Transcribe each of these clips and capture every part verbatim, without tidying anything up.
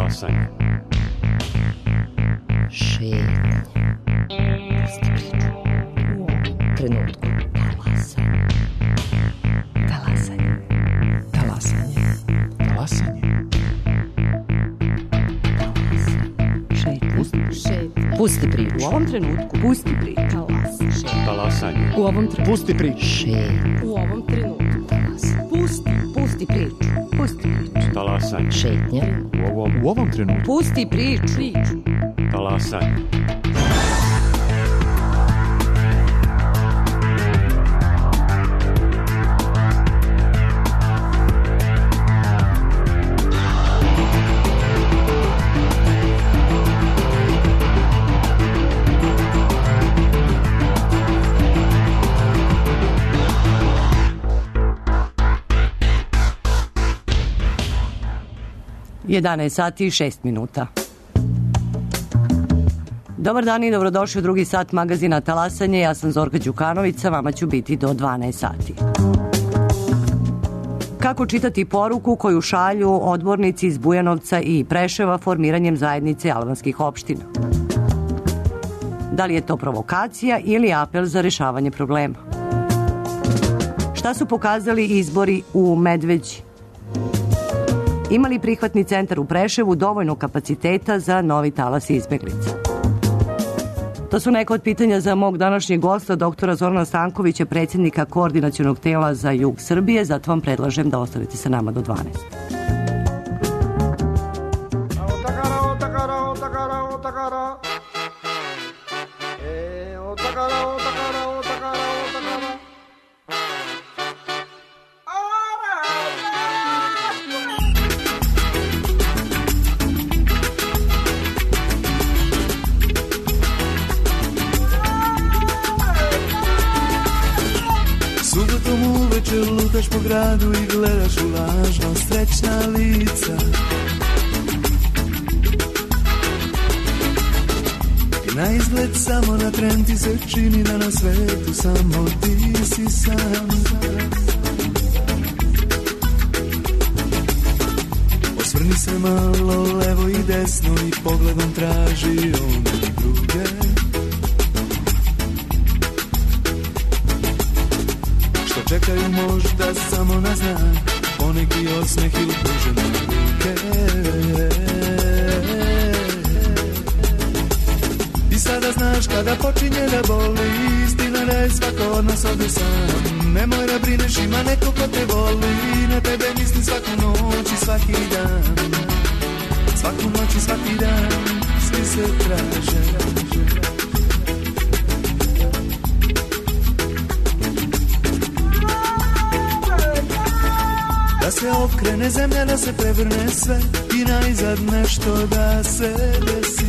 Talasanje. Šetnja. Pusti priču. U ovom trenutku. Talasanje. Talasanje. Talasanje. Talasanje. Šetnja. Šetnja. Pusti priču. U ovom trenutku. Pusti priču. Talasanje. U ovom trenutku. Pusti priču. Šetnja. U ovom trenutku. Talasanje. Pusti. Pusti priču. Pusti priču. Talasanje. Šetnja. U ovom, U ovom trenutku. Pusti priču. Priču. talasanje. jedanaest sati i šest minuta. Dobar dan i dobrodošli u drugi sat magazina Talasanje. Ja sam Zorka Đukanović, sa vama ću biti do dvanaest sati. Kako čitati poruku koju šalju odbornici iz Bujanovca i Preševa formiranjem zajednice albanskih opština? Da li je to provokacija ili apel za rešavanje problema? Šta su pokazali izbori u Medveđi? Ima li prihvatni centar u Preševu dovoljno kapaciteta za novi talas izbeglica? To su neka od pitanja za mog današnjeg gosta, doktora Zorana Stankovića, predsjednika Koordinacionog tela za jug Srbije, zato vam predlažem da ostavite sa nama do dvanaest. Lutaš po gradu i gledaš u lažno srećna lica. I na izgled samo na tren ti se čini da na svetu samo ti si sam. Osvrni se malo levo i desno i pogledom traži one druge. Čekaju možda samo na znak, poneki osmeh ili pružene ruke. I sada znaš kada počinje da boli, istina da je svako od nas ovdje sam. Nemoj da brineš, ima neko ko te voli, na tebe misli svaku noć i svaki dan. Svaku noć i svaki dan, svi se traže. Da se okrene zemlja, da se prevrne sve i najzad nešto da se desi.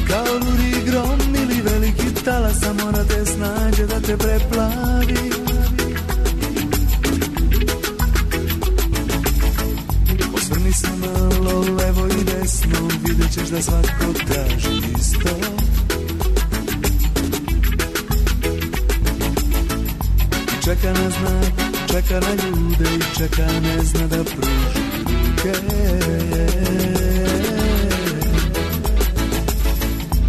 Kao ludi grom ili veliki talasa mora te snađe da te preplavi. Osvrni se malo levo i desno, vidjet ćeš da svako traži isto. Čeka na znak, čeka na ljude i čeka ne zna da pruži ruke.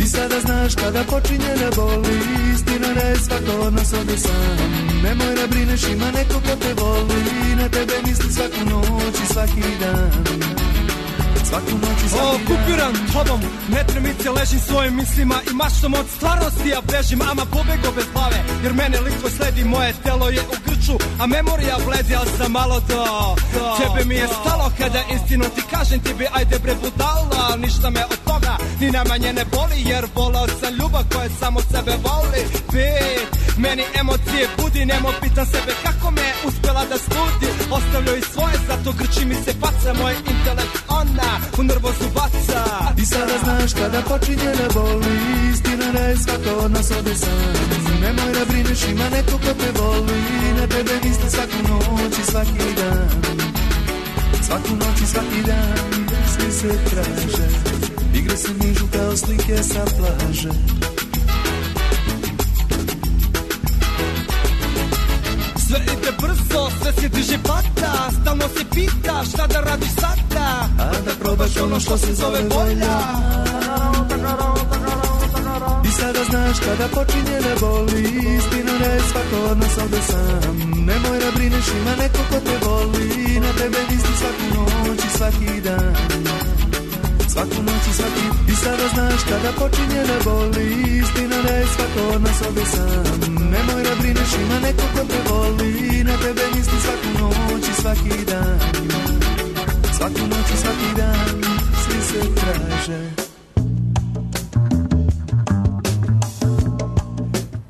I sada znaš kada počinje da boli, istina da je svako od nas ovdje sam. Nemoj da brineš, ima neko ko te voli, na tebe misli svaku noć i svaki dan. Svaku noć i svaki o, dan. kupiram tobom, ne tremice, ležim svojim mislima i maštom od stvarnosti ja bežim, ama pobego bez glave, jer mene lik tvoj sledi, moje telo je u grču, a memorija bledi, ali sam malo do, do tebe mi je stalo kada istinu ti kažem ti bi, ajde bre budala, ništa me od toga ni najmanje ne boli, jer volao sam ljubav koja samo sebe voli. Bit, meni emocije budi, nemo pitam sebe kako me uspjela da studi, ostavljaju svoje, zato grči mi se faca, moj intelekt ona u nervozu baca. I sada znaš kada počinje da boli, istina da je svako od nas ovdje sam. Nemoj da brineš, ima neko ko te voli, na tebe misli svaku noć i svaki dan. Svaku noć i svaki dan, svi se traže, igre se nižu kao slike sa plaže. Sve ide brzo, sve se diže plata, stalno šta da radiš sada, a da probaš ono što se zove volja. I sada znaš kada počinje da boli, istina da je svako od nas ovde sam. Nemoj da brineš, ima neko ko te voli, na tebe misli svaku noć i svaki dan. Svaku noć i svaki. I sada znaš kada počinje da boli, istina da je svako od nas ovde sam. Nemoj da brineš, ima neko ko te voli, na tebe misli svaku noć i svaki dan. Svaku noć i svaki dan, svi se traže.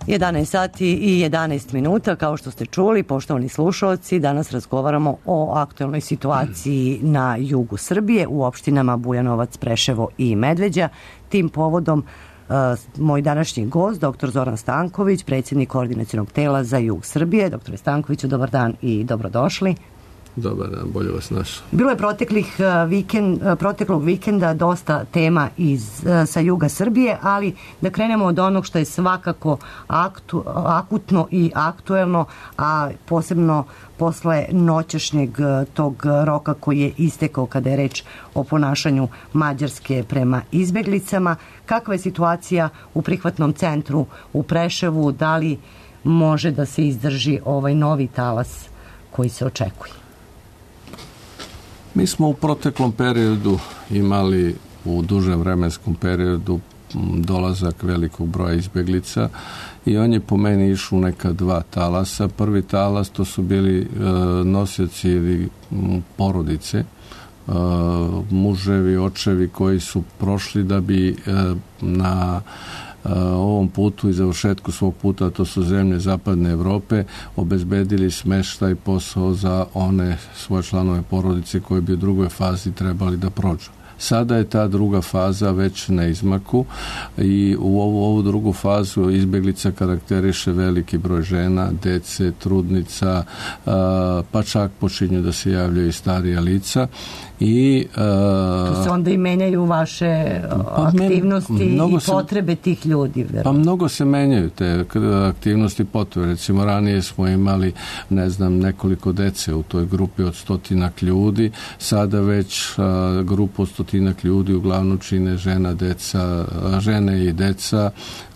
jedanaest sati i jedanaest minuta, kao što ste čuli, poštovani slušalci, danas razgovaramo o aktuelnoj situaciji na jugu Srbije, u opštinama Bujanovac, Preševo i Medveđa. Tim povodom uh, moj današnji gost, doktor Zoran Stanković, predsjednik Koordinacionog tela za jug Srbije. Doktore Stankoviću, dobar dan i dobrodošli. Dobar dan, bolje vas našao. Bilo je proteklih vikend, proteklog vikenda dosta tema iz, sa juga Srbije, ali da krenemo od onog što je svakako aktu, akutno i aktuelno, a posebno posle noćašnjeg tog roka koji je istekao kada je reč o ponašanju Mađarske prema izbeglicama. Kakva je situacija u prihvatnom centru u Preševu? Da li može da se izdrži ovaj novi talas koji se očekuje? Mi smo u proteklom periodu imali u dužem vremenskom periodu dolazak velikog broja izbjeglica i on je po meni išao u neka dva talasa. Prvi talas to su bili e, nosioci ili porodice, e, muževi, očevi koji su prošli da bi e, na ovom putu i završetku svog puta, to su zemlje zapadne Evrope, obezbedili smeštaj, posao za one svoje članove porodice koji bi u drugoj fazi trebali da prođu. Sada je ta druga faza već na izmaku i u ovu, ovu drugu fazu izbjeglica karakteriše veliki broj žena, dece, trudnica, pa čak počinju da se javljaju i starija lica. I, uh, tu se onda i menjaju vaše pa aktivnosti i potrebe se, tih ljudi. Verujem. Pa mnogo se menjaju te aktivnosti i potrebe. Recimo ranije smo imali, ne znam, nekoliko dece u toj grupi od stotinak ljudi. Sada već uh, grupu od stotinak ljudi uglavnom čine žena, deca, žene i deca,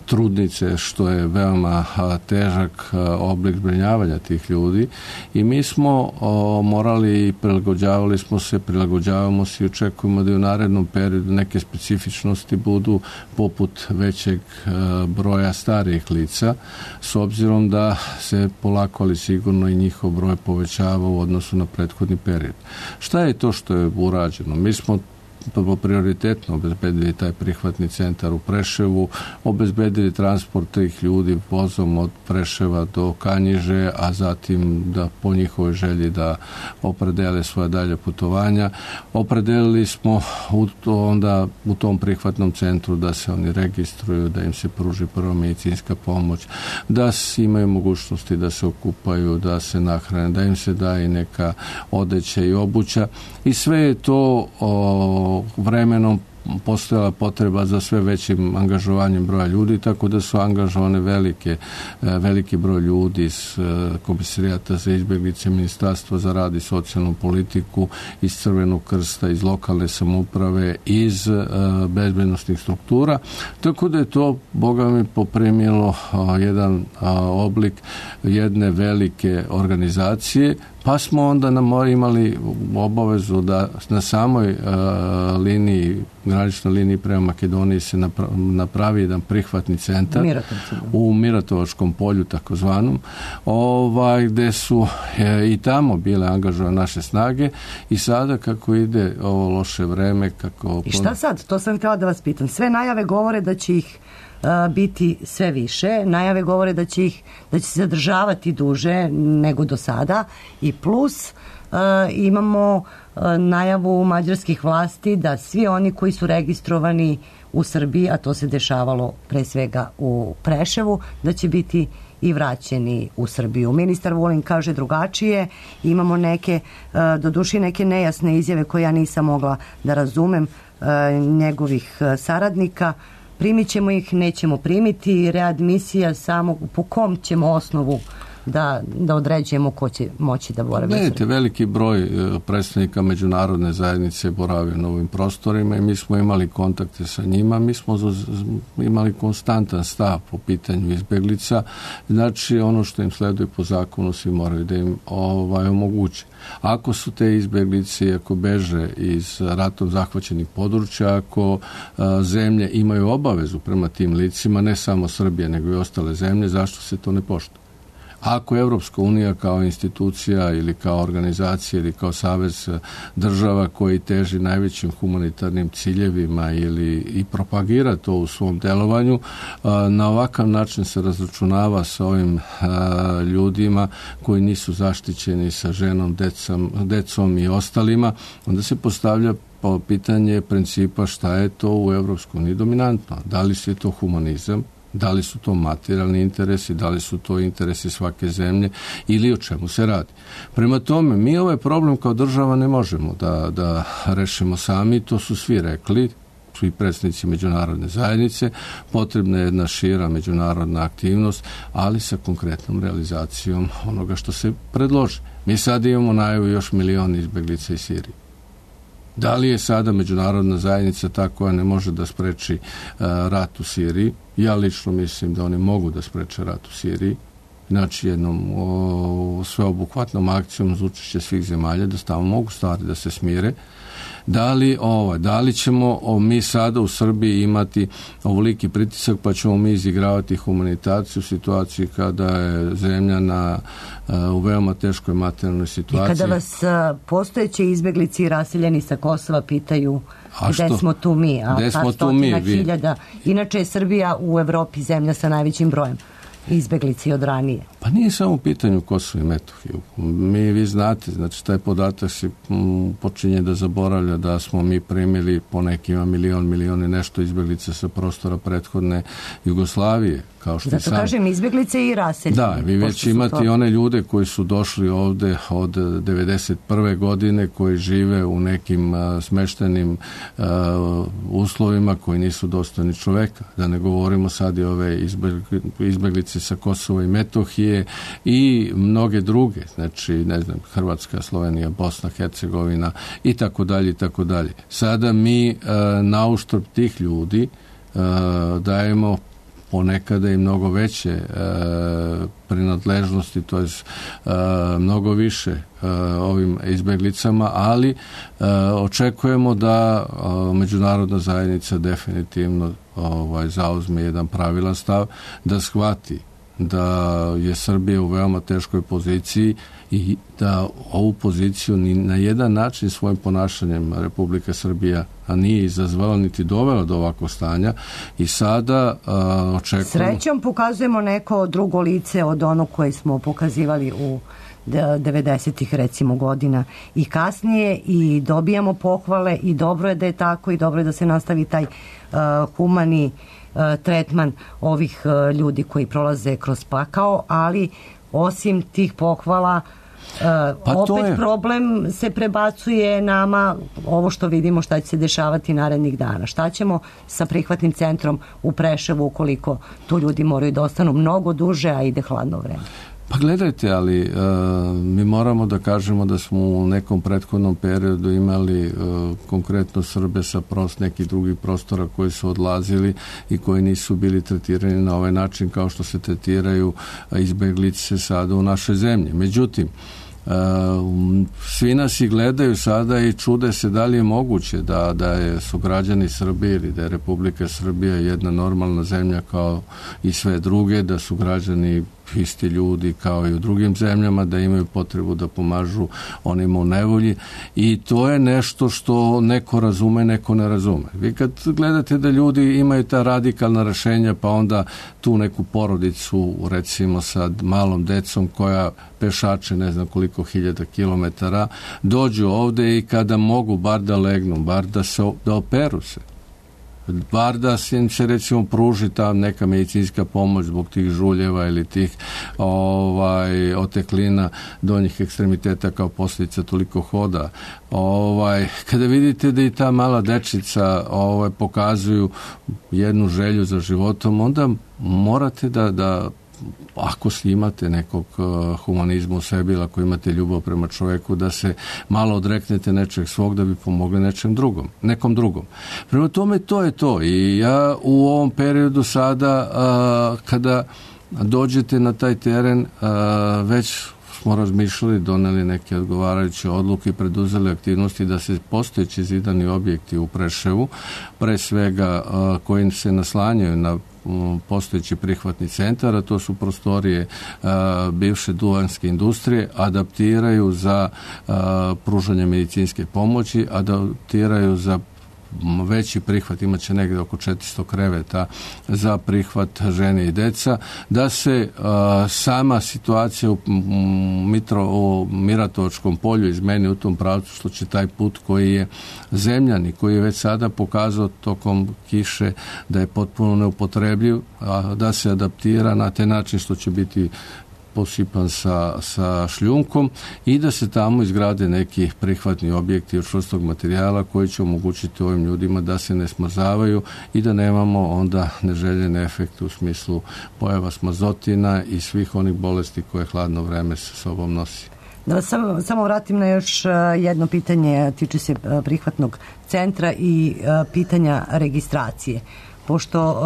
trudnice, što je veoma a, težak a, oblik zbrinjavanja tih ljudi i mi smo o, morali i prilagođavali smo se, prilagođavamo se i očekujemo da u narednom periodu neke specifičnosti budu poput većeg a, broja starijih lica, s obzirom da se polako ali sigurno i njihov broj povećava u odnosu na prethodni period. Šta je to što je urađeno? Mi smo prioritetno obezbedili taj prihvatni centar u Preševu, obezbedili transport tih ljudi vozom od Preševa do Kanjiže, a zatim da po njihovoj želji da opredele svoje dalje putovanja. Opredelili smo u to, onda u tom prihvatnom centru da se oni registruju, da im se pruži prva medicinska pomoć, da imaju mogućnosti da se okupaju, da se nahrane, da im se daje neka odeća i obuća i sve je to o, vremenom postojala potreba za sve većim angažovanjem broja ljudi, tako da su angažovane velike, veliki broj ljudi iz Komisarijata za izbjeglice, Ministarstva za rad i socijalnu politiku, iz Crvenog krsta, iz lokalne samouprave, iz bezbednosnih struktura, tako da je to, Boga mi, poprimilo jedan oblik jedne velike organizacije, pa smo onda na imali obavezu da na samoj uh, liniji, graničnoj liniji prema Makedoniji se napravi jedan prihvatni centar u Miratovačkom polju takozvanom, ovaj, gde su e, i tamo bile angažovane naše snage i sada kako ide ovo loše vreme, kako... I šta sad? To sam htjela da vas pitam. Sve najave govore da će ih biti sve više. Najave govore da će ih da će se zadržavati duže nego do sada i plus uh, imamo uh, najavu mađarskih vlasti da svi oni koji su registrovani u Srbiji, a to se dešavalo pre svega u Preševu, da će biti i vraćeni u Srbiju. Ministar Vulin kaže drugačije. Imamo neke, uh, doduše neke nejasne izjave koje ja nisam mogla da razumem uh, njegovih uh, saradnika. Primit ćemo ih, nećemo primiti, readmisija samo po kom ćemo osnovu da, da određujemo ko će moći da boravi. Gledajte, veliki broj predstavnika međunarodne zajednice boravio na ovim prostorima i mi smo imali kontakte sa njima, mi smo imali konstantan stav po pitanju izbeglica, znači ono što im sleduje po zakonu svi moraju da im ovaj, omoguće. Ako su te izbeglice, ako beže iz ratom zahvaćenih područja, ako a, zemlje imaju obavezu prema tim licima, ne samo Srbija, nego i ostale zemlje, zašto se to ne poštuje? Ako Evropska unija kao institucija ili kao organizacija ili kao savez država koji teži najvećim humanitarnim ciljevima ili i propagira to u svom delovanju, na ovakav način se razračunava sa ovim ljudima koji nisu zaštićeni, sa ženom, decom, decom i ostalima, onda se postavlja po pitanje principa šta je to u Evropskoj uniji dominantno. Da li je to humanizam, da li su to materijalni interesi, da li su to interesi svake zemlje ili o čemu se radi. Prema tome, mi ovaj problem kao država ne možemo da, da rešimo sami, to su svi rekli, svi predstavnici međunarodne zajednice, potrebna je jedna šira međunarodna aktivnost, ali sa konkretnom realizacijom onoga što se predloži. Mi sad imamo najavu još milion izbeglica iz Sirije. Da li je sada međunarodna zajednica ta koja ne može da spreči uh, rat u Siriji? Ja lično mislim da oni mogu da spreče rat u Siriji. Znači jednom o, sveobuhvatnom akcijom za učešće svih zemalja da stavno mogu stvari da se smire. Da li, ovo, da li ćemo o, mi sada u Srbiji imati ovoliki pritisak pa ćemo mi izigravati humanitarciju u situaciji kada je zemlja na, uh, u veoma teškoj materijalnoj situaciji. I kada vas uh, postojeći izbeglici i raseljeni sa Kosova pitaju gde smo tu mi, a gde smo tu mi, hiljada. Inače je Srbija u Evropi zemlja sa najvećim brojem izbeglici od ranije. Pa nije samo u pitanju Kosovo i Metohiju. Mi, vi znate, znači taj podatak se m, počinje da zaboravlja da smo mi primili po nekima milion, milion i nešto izbeglica sa prostora prethodne Jugoslavije. Kao što Zato sam... kažem izbeglice i raseljeni. Da, vi već imate to... one ljude koji su došli ovde od devedeset prve godine, koji žive u nekim a, smeštenim a, uslovima koji nisu dostojni čoveka. Da ne govorimo sad i ove izbeglice sa Kosova i Metohije i mnoge druge, znači, ne znam, Hrvatska, Slovenija, Bosna, Hercegovina i tako dalje i tako dalje. Sada mi a, na uštrb tih ljudi a, dajemo ponekada i mnogo veće e, prinadležnosti, to je e, mnogo više e, ovim izbeglicama, ali e, očekujemo da e, međunarodna zajednica definitivno ovaj, zauzme jedan pravilan stav, da shvati da je Srbija u veoma teškoj poziciji i da ovu poziciju ni na jedan način svojim ponašanjem Republika Srbija a nije izazvala niti dovela do ovakvog stanja i sada a, očekujemo... Srećom pokazujemo neko drugo lice od onog koje smo pokazivali u devedesetih recimo godina i kasnije i dobijamo pohvale i dobro je da je tako i dobro je da se nastavi taj uh, humani uh, tretman ovih uh, ljudi koji prolaze kroz pakao, ali osim tih pohvala Uh, pa opet problem se prebacuje nama ovo što vidimo šta će se dešavati narednih dana. Šta ćemo sa prihvatnim centrom u Preševu ukoliko tu ljudi moraju da ostanu mnogo duže, a ide hladno vreme? Pa gledajte, ali uh, mi moramo da kažemo da smo u nekom prethodnom periodu imali uh, konkretno Srbe sa prost nekih drugih prostora koji su odlazili i koji nisu bili tretirani na ovaj način kao što se tretiraju izbeglice sada u našoj zemlji. Međutim, Uh, svi nas i gledaju sada i čude se da li je moguće da, da je, su građani Srbije ili da je Republika Srbija jedna normalna zemlja kao i sve druge, da su građani isti ljudi kao i u drugim zemljama, da imaju potrebu da pomažu onima u nevolji i to je nešto što neko razume, neko ne razume. Vi kad gledate da ljudi imaju ta radikalna rešenja, pa onda tu neku porodicu recimo sa malom decom koja pešače ne znam koliko hiljada kilometara, dođu ovde i kada mogu bar da legnu, bar da se da operu se, bar da se, se recimo pruži ta neka medicinska pomoć zbog tih žuljeva ili tih ovaj, oteklina donjih ekstremiteta kao posljedica toliko hoda. Ovaj, kada vidite da i ta mala dečica ovaj, pokazuju jednu želju za životom, onda morate da, da ako imate nekog humanizma u sebi ili ako imate ljubav prema čoveku, da se malo odreknete nečeg svog da bi pomogli nečem drugom, nekom drugom. Prema tome to je to i ja u ovom periodu sada a, kada dođete na taj teren a, već smo razmišljali, doneli neke odgovarajuće odluke i preduzeli aktivnosti da se postojeći zidani objekti u Preševu, pre svega koji se naslanjaju na postojeći prihvatni centar, a to su prostorije a, bivše duvanske industrije, adaptiraju za a, pružanje medicinske pomoći, adaptiraju za veći prihvat, imat će negdje oko četiristo kreveta za prihvat žene i deca, da se a, sama situacija u, mitro, u Miratovačkom polju izmeni u tom pravcu, što će taj put koji je zemljan i koji je već sada pokazao tokom kiše da je potpuno neupotrebljiv, a, da se adaptira na taj način što će biti posipan sa, sa šljunkom i da se tamo izgrade neki prihvatni objekti od čvrstog materijala koji će omogućiti ovim ljudima da se ne smrzavaju i da nemamo onda neželjene efekte u smislu pojava smrzotina i svih onih bolesti koje hladno vreme sa sobom nosi. Da samo, samo vratim na još jedno pitanje, tiče se prihvatnog centra i pitanja registracije. Pošto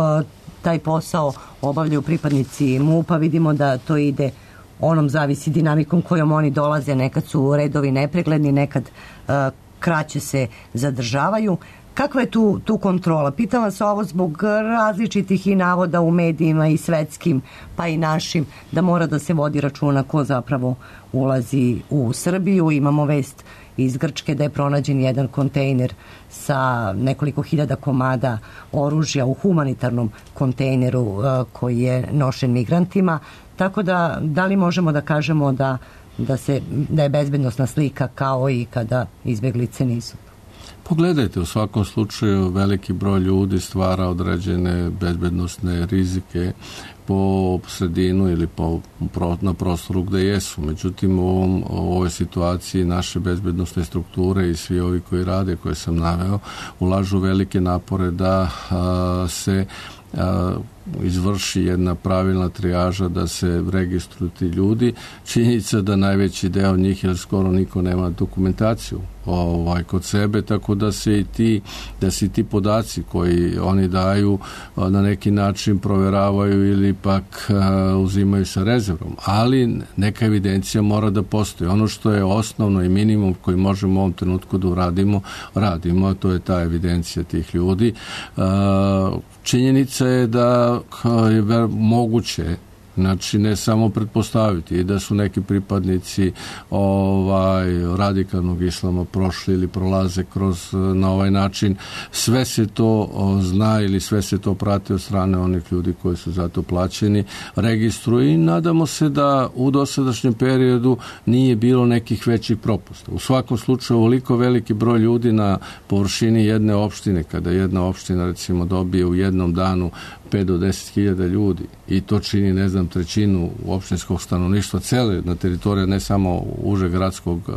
taj posao obavljaju pripadnici MUP-a, vidimo da to ide, onom zavisi dinamikom kojom oni dolaze, nekad su redovi nepregledni, nekad uh, kraće se zadržavaju. Kakva je tu, tu kontrola? Pitam vas ovo zbog različitih i navoda u medijima i svetskim, pa i našim, da mora da se vodi računa ko zapravo ulazi u Srbiju. Imamo vest iz Grčke da je pronađen jedan kontejner sa nekoliko hiljada komada oružja u humanitarnom kontejneru uh, koji je nošen migrantima. Tako da, da li možemo da kažemo da, da, se, da je bezbednosna slika kao i kada izbeglice nisu? Pogledajte, u svakom slučaju veliki broj ljudi stvara određene bezbednosne rizike po sredinu ili po, na prostoru gde jesu. Međutim, u, ovom, u ovoj situaciji naše bezbednosne strukture i svi ovi koji rade, koje sam naveo, ulažu velike napore da a, se a, izvrši jedna pravilna trijaža, da se registruju ti ljudi. Činjenica da najveći deo njih, jer skoro niko nema dokumentaciju ovaj, kod sebe, tako da se i ti, da se i ti podaci koji oni daju na neki način proveravaju ili pak a, uzimaju sa rezervom. Ali neka evidencija mora da postoji. Ono što je osnovno i minimum koji možemo u ovom trenutku da uradimo, radimo, a to je ta evidencija tih ljudi. A, činjenica je da je moguće, znači ne samo pretpostaviti i da su neki pripadnici ovaj radikalnog islama prošli ili prolaze kroz na ovaj način. Sve se to zna ili sve se to prati od strane onih ljudi koji su za to plaćeni, registruju i nadamo se da u dosadašnjem periodu nije bilo nekih većih propusta. U svakom slučaju ovoliko veliki broj ljudi na površini jedne opštine, kada jedna opština recimo dobije u jednom danu pet do deset hiljada ljudi i to čini, ne znam, trećinu opštinskog stanovništva cele na teritoriji, ne samo uže gradskog uh,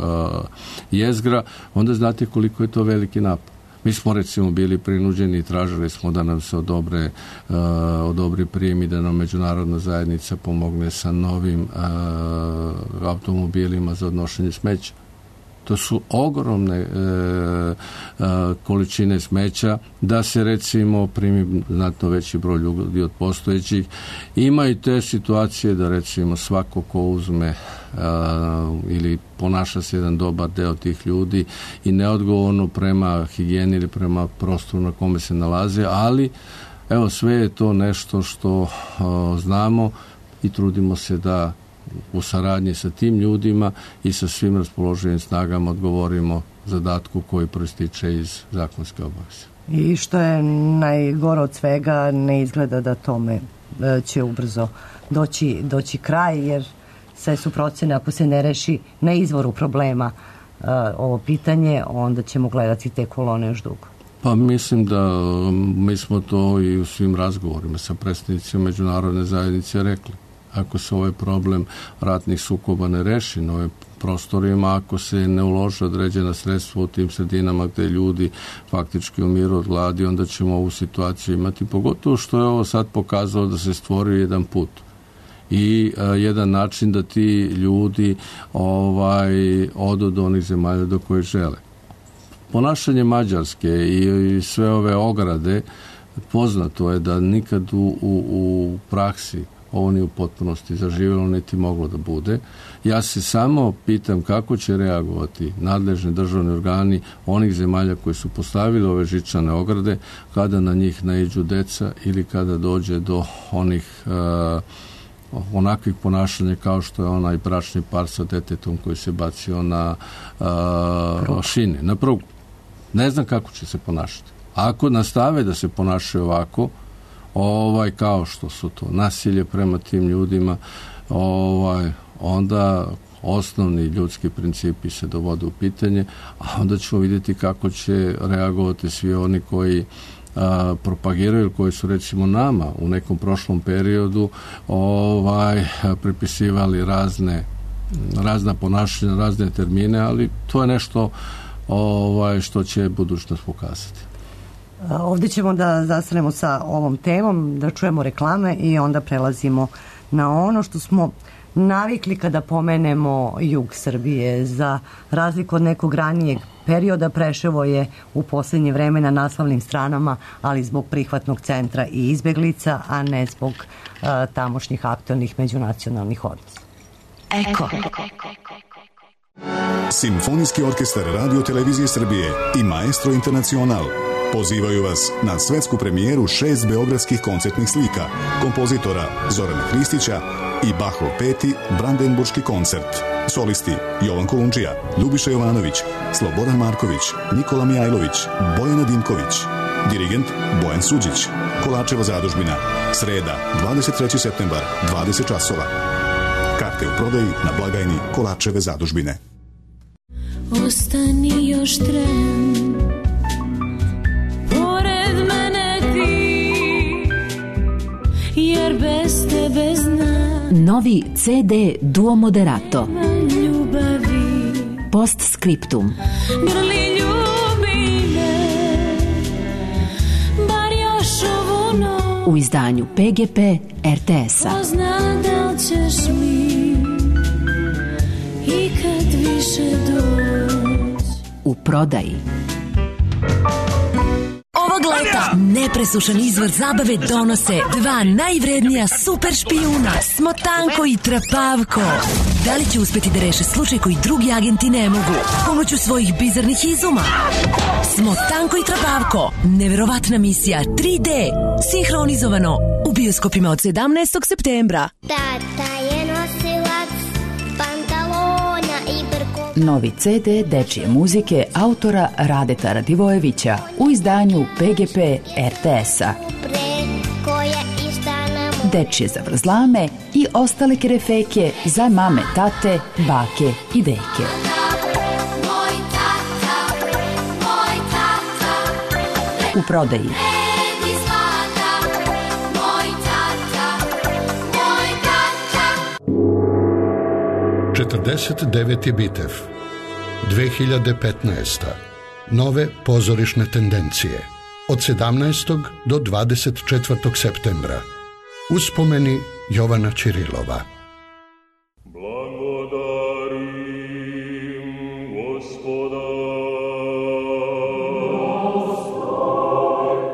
jezgra, onda znate koliko je to veliki napad. Mi smo recimo bili prinuđeni i tražili smo da nam se odobre, uh, odobri prijem i da nam međunarodna zajednica pomogne sa novim uh, automobilima za odnošenje smeća. To su ogromne e, e, količine smeća, da se recimo primi znatno veći broj ljudi od postojećih. Ima i te situacije da recimo svako ko uzme a, ili ponaša se jedan dobar deo tih ljudi i neodgovorno prema higijeni ili prema prostoru na kome se nalaze, ali evo sve je to nešto što a, znamo i trudimo se da u saradnji sa tim ljudima i sa svim raspoloživim snagama odgovorimo zadatku koji proističe iz zakonske obaveze. I što je najgore od svega, ne izgleda da tome će ubrzo doći, doći kraj, jer sve su procene, ako se ne reši na izvoru problema ovo pitanje, onda ćemo gledati te kolone još dugo. Pa mislim da mi smo to i u svim razgovorima sa predstavnicima međunarodne zajednice rekli. Ako se ovaj problem ratnih sukoba ne reši na ovim prostorima, ako se ne ulože određena sredstva u tim sredinama gde ljudi faktički umiru od gladi, onda ćemo ovu situaciju imati, pogotovo što je ovo sad pokazalo da se stvorio jedan put. i a, jedan način da ti ljudi ovaj, odu do onih zemalja do koje žele. Ponašanje Mađarske i, i sve ove ograde, poznato je da nikad u, u, u praksi ovo nije u potpunosti zaživjelo, niti moglo da bude. Ja se samo pitam kako će reagovati nadležni državni organi onih zemalja koji su postavili ove žičane ograde kada na njih naiđu deca ili kada dođe do onih uh, onakvih ponašanja kao što je onaj bračni par sa detetom koji se bacio na uh, šine, na prugu. Ne znam kako će se ponašati. Ako nastave da se ponašaju ovako, ovaj, kao što su to nasilje prema tim ljudima, ovaj, onda osnovni ljudski principi se dovode u pitanje, a onda ćemo vidjeti kako će reagovati svi oni koji a, propagiraju, koji su recimo nama u nekom prošlom periodu ovaj, pripisivali razne, razna ponašanja, razne termine, ali to je nešto ovaj, što će budućnost pokazati. Ovdje ćemo da zastanemo sa ovom temom, da čujemo reklame i onda prelazimo na ono što smo navikli kada pomenemo jug Srbije. Za razliku od nekog ranijeg perioda, Preševo je u posljednje vreme na naslovnim stranama, ali zbog prihvatnog centra i izbeglica, a ne zbog uh, tamošnjih aktualnih međunacionalnih odnosa. Eko. Simfonijski orkestar Radio Televizije Srbije i Maestro Internacional pozivaju vas na svetsku premijeru šest beogradskih koncertnih slika kompozitora Zorana Hristića i Bachov peti Brandenburški koncert. Solisti Jovan Kolundžija, Ljubiša Jovanović, Slobodan Marković, Nikola Mijajlović, Bojana Dimković. Dirigent Bojan Suđić. Kolačeva zadužbina. Sreda, dvadeset treći septembar, dvadeset časova. Karte u prodaji na blagajni Kolačeve zadužbine. Ostani još tren, pored mene ti, jer bez tebe znam. Novi ce de Duo Moderato. Ljubavi. Postscriptum. Grli ljubi me, bar još ovu noć. U izdanju pe ge pe er te es-a. Ko zna da li ćeš mi ikad više doći. U prodaji. Ovog leta nepresušan izvor zabave donose dva najvrednija super špijuna, Smotanko i Trapavko. Da li će uspeti da reše slučaj koji drugi agenti ne mogu pomoću svojih bizarnih izuma? Smotanko i Trapavko, neverovatna misija tri de, sinhronizovano u bioskopima od sedamnaestog septembra. Tata je nosilac pantalona i brko. Novi ce de dečije muzike autora Radeta Radivojevića u izdanju pe ge pe er te es-a. Dečije zavrzlame i ostale kerefeke za mame, tate, bake i deke. U prodaji. četrdeset deveti Bitev, dve hiljade petnaesta. Nove pozorišne tendencije. Od sedamnaestog do dvadeset četvrtog septembra. Uspomeni Jovana Ćirilova.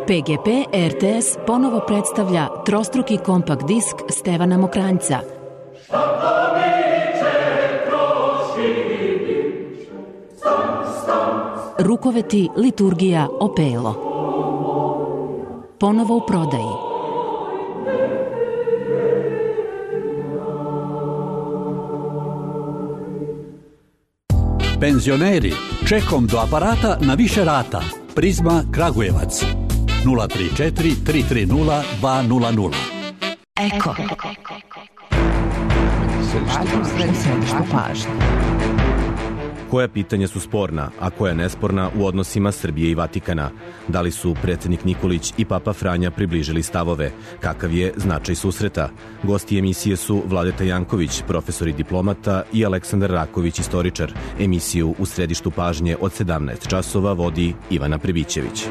pe ge pe er te es ponovo predstavlja trostruki kompakt disk Stevana Mokranjca. Rukoveti, liturgija, opelo. Ponovo u prodaji. Penzioneri, čekom do aparata na više rata. Prizma Kragujevac. nula tri četiri tri tri nula dva nula nula. Eko. Središte pažnje. Koja pitanja su sporna, a koja nesporna u odnosima Srbije i Vatikana? Da li su predsjednik Nikolić i Papa Franja približili stavove? Kakav je značaj susreta? Gosti emisije su Vladeta Janković, profesor i diplomata, i Aleksandar Raković, istoričar. Emisiju U središtu pažnje od sedamnaest časova vodi Ivana Prebićević.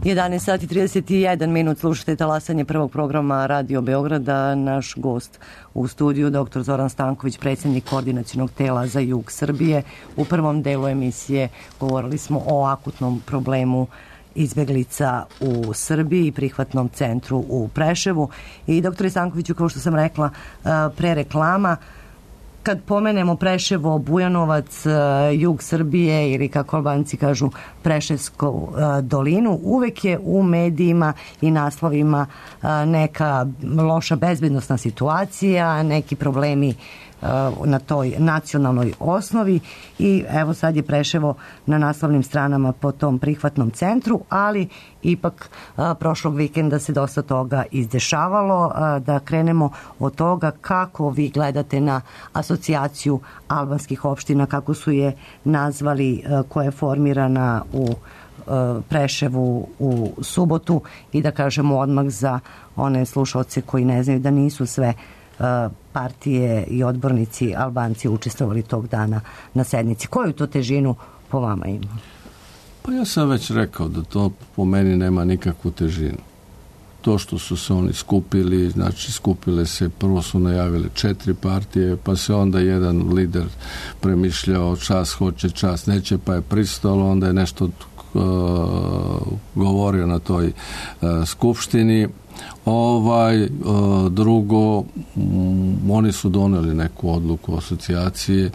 jedanaest sati trideset jedan minut, slušate talasanje prvog programa Radio Beograda. Naš gost u studiju, doktor Zoran Stanković, predsjednik koordinacionog tela za jug Srbije. U prvom delu emisije govorili smo o akutnom problemu izbeglica u Srbiji i prihvatnom centru u Preševu. I doktore Stankoviću, kao što sam rekla pre reklama, kad pomenemo Preševo, Bujanovac, jug Srbije ili kako Albanci kažu Preševsku dolinu, uvek je u medijima i naslovima neka loša bezbednosna situacija, neki problemi na toj nacionalnoj osnovi i evo sad je Preševo na naslovnim stranama po tom prihvatnom centru, ali ipak a, prošlog vikenda se dosta toga izdešavalo. A, da krenemo od toga kako vi gledate na asocijaciju albanskih opština, kako su je nazvali, a, koja je formirana u a, Preševu u subotu, i da kažemo odmah za one slušalce koji ne znaju da nisu sve partije i odbornici Albanci učestvovali tog dana na sednici. Koju to težinu po vama ima? Pa ja sam već rekao da to po meni nema nikakvu težinu. To što su se oni skupili, znači skupile se, prvo su najavili četiri partije, pa se onda jedan lider premišljao čas hoće, čas neće, pa je pristalo, onda je nešto uh, govorio na toj uh, skupštini. Ovaj, drugo, oni su doneli neku odluku asocijacije,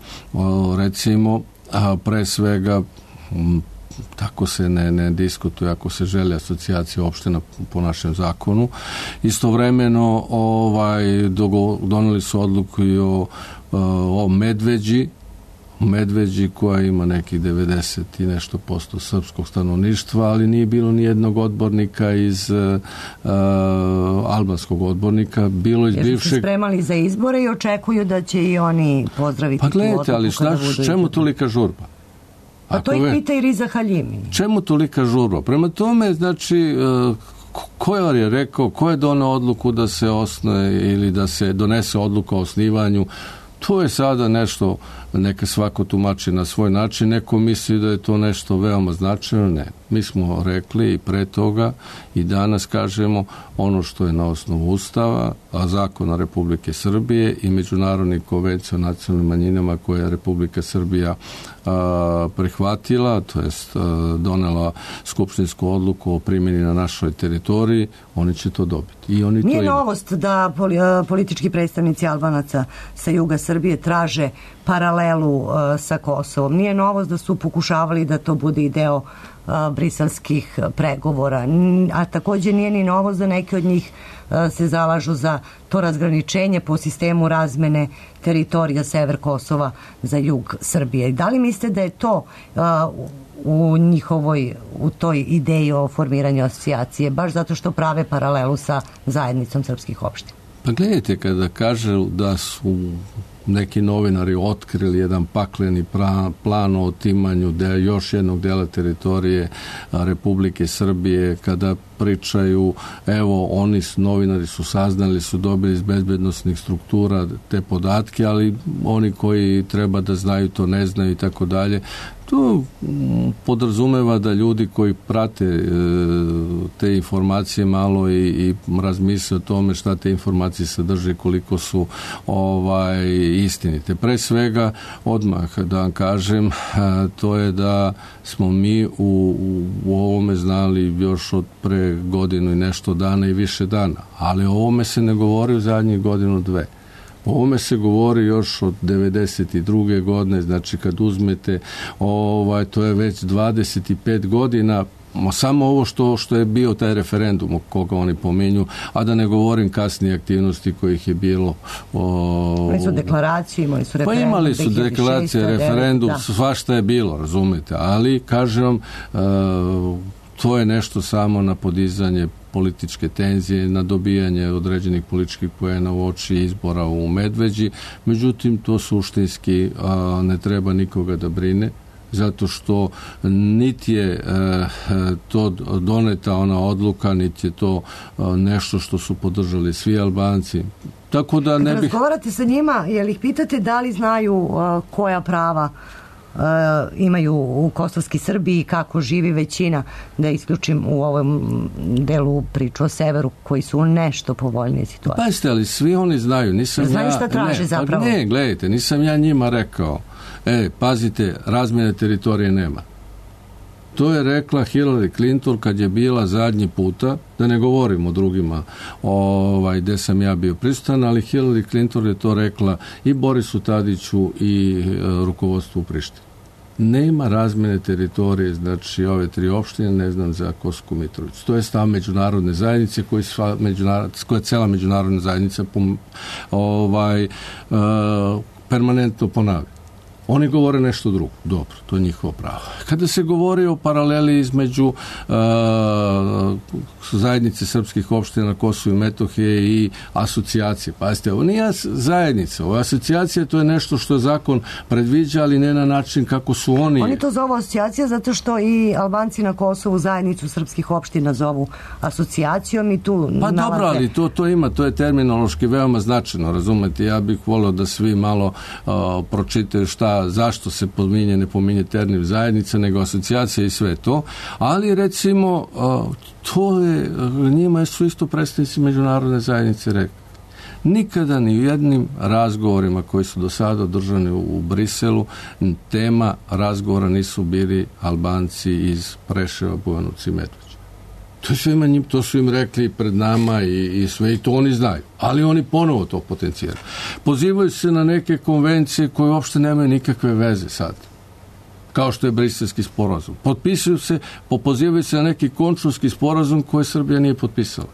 recimo, a pre svega tako se ne, ne diskutuje ako se želi asocijacija opština po našem zakonu. Istovremeno ovaj, doneli su odluku i o, o Medveđi, Medveđi koja ima nekih devedeset i nešto posto srpskog stanovništva, ali nije bilo ni jednog odbornika iz uh, albanskog odbornika. Bilo iz Jer bivšeg... su se spremali za izbore i očekuju da će i oni pozdraviti pa gledajte, tu odluku. Ali šta, čemu izbore? Tolika žurba? Pa Ako to i ve... pita i Riza Haljimi. Čemu tolika žurba? Prema tome, znači, uh, ko je rekao, ko je doneo odluku da se osnuje ili da se donese odluka o osnivanju? To je sada nešto, neka svako tumači na svoj način, neko misli da je to nešto veoma značajno, ne. Mi smo rekli i pre toga i danas kažemo ono što je na osnovu Ustava, a zakona Republike Srbije i međunarodnih konvencija o nacionalnim manjinama koje je Republika Srbija a, prihvatila, to jest a, donela skupštinsku odluku o primjeni na našoj teritoriji, oni će to dobiti. I oni Nije to novost da politički predstavnici Albanaca sa juga Srbije traže paralelu uh, sa Kosovom. Nije novost da su pokušavali da to bude i deo uh, briselskih pregovora. A također nije ni novost da neki od njih uh, se zalažu za to razgraničenje po sistemu razmene teritorija sever Kosova za jug Srbije. Da li mislite da je to uh, u njihovoj, u toj ideji o formiranju asocijacije, baš zato što prave paralelu sa zajednicom srpskih opština? Pa gledajte, kada kažu da su neki novinari otkrili jedan pakleni plan o otimanju de, još jednog dela teritorije Republike Srbije, kada pričaju, evo, oni novinari su saznali, su dobili iz bezbednosnih struktura te podatke, ali oni koji treba da znaju to ne znaju i tako dalje. To podrazumeva da ljudi koji prate e, te informacije malo i, i razmisle o tome šta te informacije sadrže, koliko su ovaj, istinite. Pre svega, odmah da vam kažem, a, to je da smo mi u, u, u ovome znali još od pre godinu i nešto dana i više dana, ali o ovome se ne govori u zadnjih godinu dve. O ovome se govori još od devedeset druge godine, znači kad uzmete, ovaj, to je već dvadeset pet godina, samo ovo što, što je bio taj referendum o koga oni pominju, a da ne govorim kasnije aktivnosti kojih je bilo. O... Imali su deklaraciju, imali su referendum. Pa imali su deklaracije, referendum, da. Svašta je bilo, razumete, ali kažem vam, uh, to je nešto samo na podizanje političke tenzije, na dobijanje određenih političkih poena u oči izbora u Medveđi. Međutim, to suštinski a, ne treba nikoga da brine, zato što niti je e, to doneta ona odluka, niti je to a, nešto što su podržali svi Albanci. Tako da ne bih... Razgovarate sa njima, jel ih pitate da li znaju a, koja prava imaju u kosovski Srbiji, kako živi većina, da isključim u ovom delu priču o severu, koji su u nešto povoljnije situacije. Pazite, ali svi oni znaju. Nisam znaju ja, šta traže ne, zapravo. Ne, gledajte, nisam ja njima rekao, e, pazite, razmjene teritorije nema. To je rekla Hillary Clinton kad je bila zadnji puta, da ne govorim o drugima ovaj, gde sam ja bio prisutan, ali Hillary Clinton je to rekla i Borisu Tadiću i e, rukovodstvu u Prištini. Nema razmjene teritorije, znači ove tri opštine, ne znam za Kosovsku Mitrovicu. To je stav međunarodne zajednice koji sva međunarod, koja cela međunarodna zajednica pom, ovaj, e, permanentno ponavlja. Oni govore nešto drugo. Dobro, to je njihovo pravo. Kada se govori o paraleli između uh, zajednice srpskih opština na Kosovu i Metohije i asocijacije. Pazite, ovo nije zajednica, ovo je asocijacija, to je nešto što zakon predviđa, ali ne na način kako su oni... Oni to zovu asocijacija zato što i Albanci na Kosovu zajednicu srpskih opština zovu asocijacijom i tu Pa nalaze... dobro, ali to, to ima, to je terminološki veoma značajno, razumete? Ja bih volio da svi malo uh, pročitaju šta zašto se pominje, ne pominje termin zajednica, nego asocijacija i sve to. Ali recimo, to je, njima su isto predstavnici međunarodne zajednice rekli. Nikada ni u jednim razgovorima koji su do sada održani u Briselu, tema razgovora nisu bili Albanci iz Preševa, Bujanovca i Medveđe. To su, im, to su im rekli pred nama i, i sve, i to oni znaju. Ali oni ponovo to potencijaju. Pozivaju se na neke konvencije koje uopšte nemaju nikakve veze sad. Kao što je Briselski sporazum. Potpisuju se, pozivaju se na neki končulski sporazum koje Srbija nije potpisala.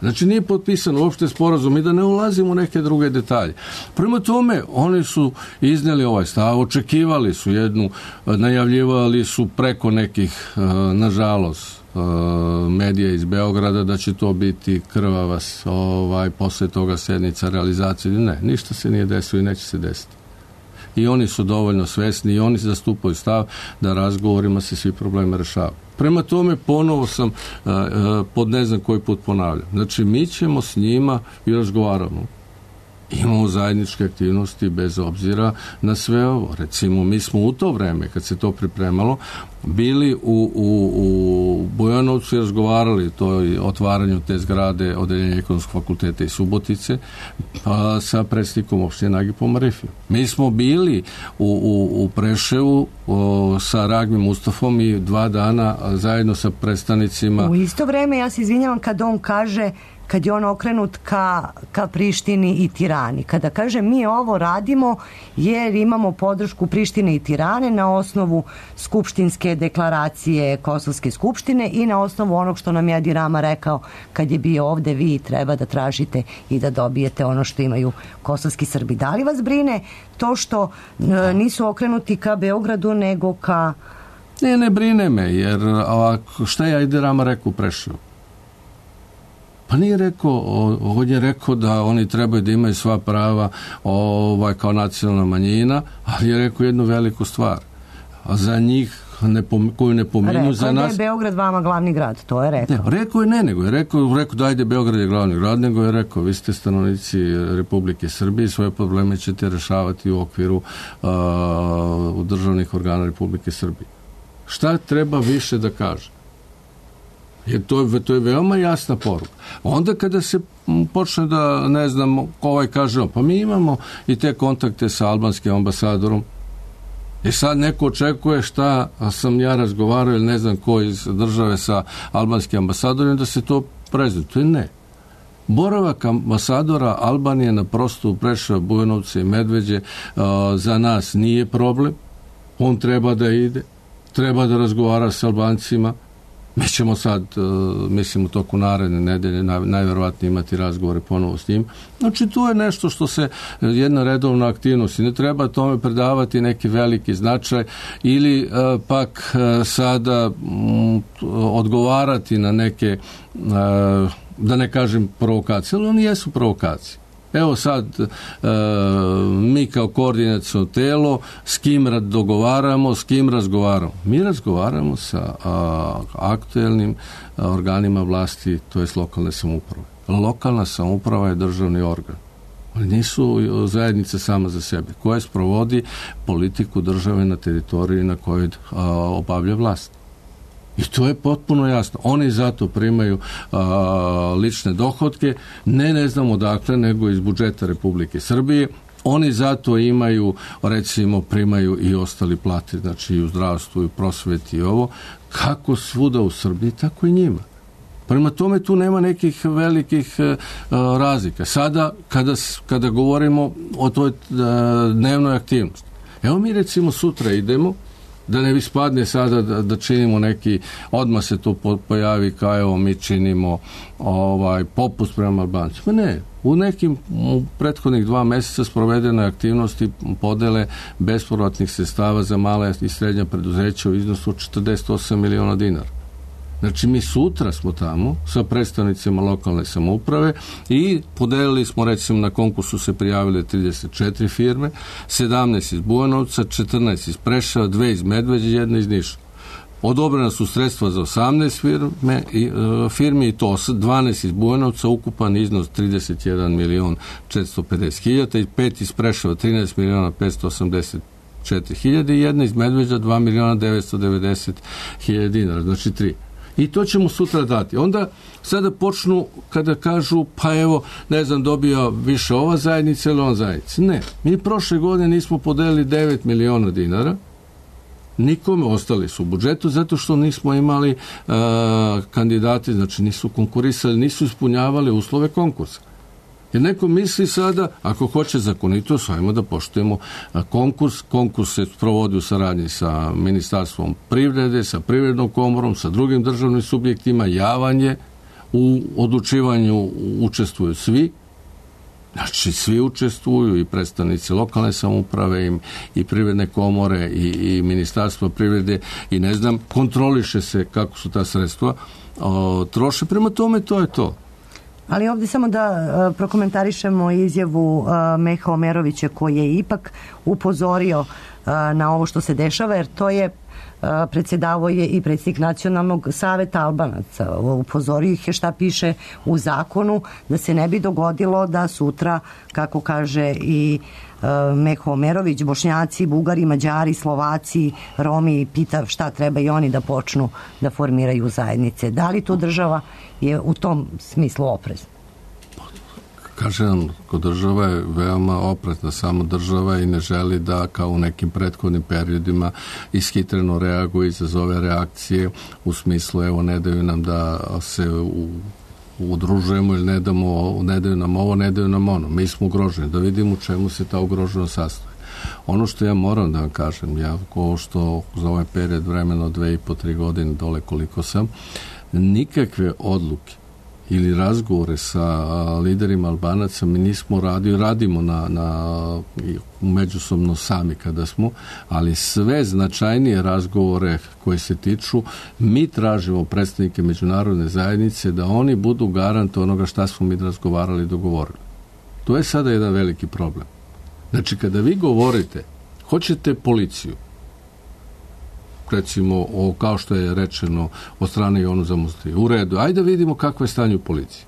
Znači nije potpisan uopšte sporazum i da ne ulazimo u neke druge detalje. Prema tome, oni su izneli ovaj stav, očekivali su jednu, najavljivali su preko nekih, nažalost, medija iz Beograda da će to biti krvava ovaj, posle toga sednica realizacije. Ne, ništa se nije desilo i neće se desiti. I oni su dovoljno svesni i oni zastupaju stav da razgovorima se svi probleme rešavaju. Prema tome, ponovo sam uh, pod ne znam koji put ponavljam. Znači, mi ćemo s njima i razgovaramo. Imamo zajedničke aktivnosti bez obzira na sve ovo. Recimo, mi smo u to vreme, kad se to pripremalo, bili u, u, u Bujanovcu i razgovarali to i otvaranju te zgrade Odeljenja ekonomskog fakulteta i Subotice a, sa predsjednikom opštine Nagipom Arifijom. Mi smo bili u, u, u Preševu o, sa Ragmim Mustafom i dva dana zajedno sa predstavnicima. U isto vreme, ja se izvinjavam kad on kaže, kad je on okrenut ka, ka Prištini i Tirani. Kada kaže mi ovo radimo jer imamo podršku Prištine i Tirane na osnovu skupštinske deklaracije Kosovske skupštine i na osnovu onog što nam je Edi Rama rekao kad je bio ovde, vi treba da tražite i da dobijete ono što imaju kosovski Srbi. Da li vas brine to što e, nisu okrenuti ka Beogradu nego ka... Ne, ne brine me, jer ovako, šta je Edi Rama rekao u Preševu? Pa nije rekao, on je rekao da oni trebaju da imaju sva prava ovaj, kao nacionalna manjina, ali je rekao jednu veliku stvar. A za njih ne pom, koju ne pominju rekao za nas... Rekao da je Beograd vama glavni grad, to je rekao. Ne, rekao je ne, nego je rekao, rekao da ajde Beograd je glavni grad, nego je rekao vi ste stanovnici Republike Srbije, svoje probleme ćete rešavati u okviru uh, državnih organa Republike Srbije. Šta treba više da kaže? Jer to je, to je veoma jasna poruka. Onda kada se počne da, ne znam, ovaj kaže, pa mi imamo i te kontakte sa albanskim ambasadorom, i sad neko očekuje šta sam ja razgovarao ili ne znam ko iz države sa albanskim ambasadorom da se to prezentuje. Ne. Boravak ambasadora Albanije na prostoru Preševa, Bujanovca i Medveđe uh, za nas nije problem. On treba da ide, treba da razgovara sa Albancima. Mi ćemo sad, mislim, u toku naredne nedelje naj, najverovatnije imati razgovore ponovo s njim. Znači, to je nešto što se, jedna redovna aktivnost i ne treba tome predavati neki veliki značaj ili uh, pak uh, sada um, odgovarati na neke, uh, da ne kažem provokacije, ali oni jesu provokacije. Evo sad, e, mi kao koordinaciono telo, s kim dogovaramo, s kim razgovaramo. Mi razgovaramo sa a, aktuelnim a, organima vlasti, to je lokalne samouprave. Lokalna samouprava je državni organ. Oni nisu zajednica sama za sebe, koja sprovodi politiku države na teritoriji na kojoj a, obavlja vlast. I to je potpuno jasno. Oni zato primaju a, lične dohotke, ne ne znam odakle, nego iz budžeta Republike Srbije. Oni zato imaju, recimo, primaju i ostali plate, znači i u zdravstvu, i u prosveti i ovo. Kako svuda u Srbiji, tako i njima. Prema tome tu nema nekih velikih uh, razlika. Sada, kada, kada govorimo o toj uh, dnevnoj aktivnosti, evo mi recimo sutra idemo, da ne bi spadne sada da, da činimo neki, odmah se to pojavi kao evo mi činimo ovaj, popust prema Albancima. Ne, u nekim u prethodnih dva meseca sprovedene aktivnosti podele bespovratnih sredstava za male i srednja preduzeća u iznosu od četrdeset osam miliona dinara. Znači, mi sutra smo tamo sa predstavnicima lokalne samouprave i podelili smo, recimo, na konkursu se prijavile trideset četiri firme, sedamnaest iz Bujanovca, četrnaest iz Preševa, dve iz Medveđe, jedna iz Niša. Odobrena su sredstva za osamnaest firme, i, uh, firmi i to dvanaest iz Bujanovca, ukupan iznos trideset jedan milion četiristo pedeset hiljada i pet iz Preševa trinaest miliona petsto osamdeset četiri hiljade i jedna iz Medveđa dva miliona devetsto devedeset hiljada dinara, znači tri. I to ćemo sutra dati. Onda sada počnu kada kažu pa evo, ne znam, dobio više ova zajednica ili ova zajednica. Ne, mi prošle godine nismo podelili devet miliona dinara, nikome, ostali su u budžetu zato što nismo imali uh, kandidati, znači nisu konkurisali, nisu ispunjavali uslove konkursa. Jer neko misli sada, ako hoće zakonitost, ajmo da poštujemo konkurs. Konkurs se provodi u saradnji sa Ministarstvom privrede, sa Privrednom komorom, sa drugim državnim subjektima, javanje, u odlučivanju učestvuju svi. Znači, svi učestvuju, i predstavnici lokalne samouprave, i, i Privredne komore, i, i Ministarstvo privrede, i ne znam, kontroliše se kako su ta sredstva o, troše. Prema tome, to je to. Ali ovdje samo da uh, prokomentarišemo izjavu uh, Meha Omerovića, koji je ipak upozorio uh, na ovo što se dešava, jer to je uh, predsjedavao je i predsjednik Nacionalnog saveta Albanaca. Upozorio ih je šta piše u zakonu, da se ne bi dogodilo da sutra, kako kaže i uh, Meho Omerović, Bošnjaci, Bugari, Mađari, Slovaci, Romi, pita šta treba i oni da počnu da formiraju zajednice. Da li to država je u tom smislu oprezna? Kažem, kod država je veoma oprezna, samo država i ne želi da, kao u nekim prethodnim periodima, ishitreno reaguje, izazove reakcije u smislu, evo, ne daju nam da se u, udružujemo ili ne, damo, ne daju nam ovo, ne daju nam ono. Mi smo ugroženi, da vidimo u čemu se ta ugroženost sastoji. Ono što ja moram da vam kažem, ja ko što za ovaj period vremena od dve i po, tri godine dole koliko sam, nikakve odluke ili razgovore sa liderima Albanaca mi nismo radili, radimo na, na međusobno sami kada smo, ali sve značajnije razgovore koje se tiču, mi tražimo predstavnike međunarodne zajednice da oni budu garant onoga šta smo mi razgovarali i dogovorili. To je sada jedan veliki problem. Znači, kada vi govorite, hoćete policiju, recimo, o, kao što je rečeno od strane Jonu Zamostrije, u redu, ajde vidimo kakvo je stanje u policiji.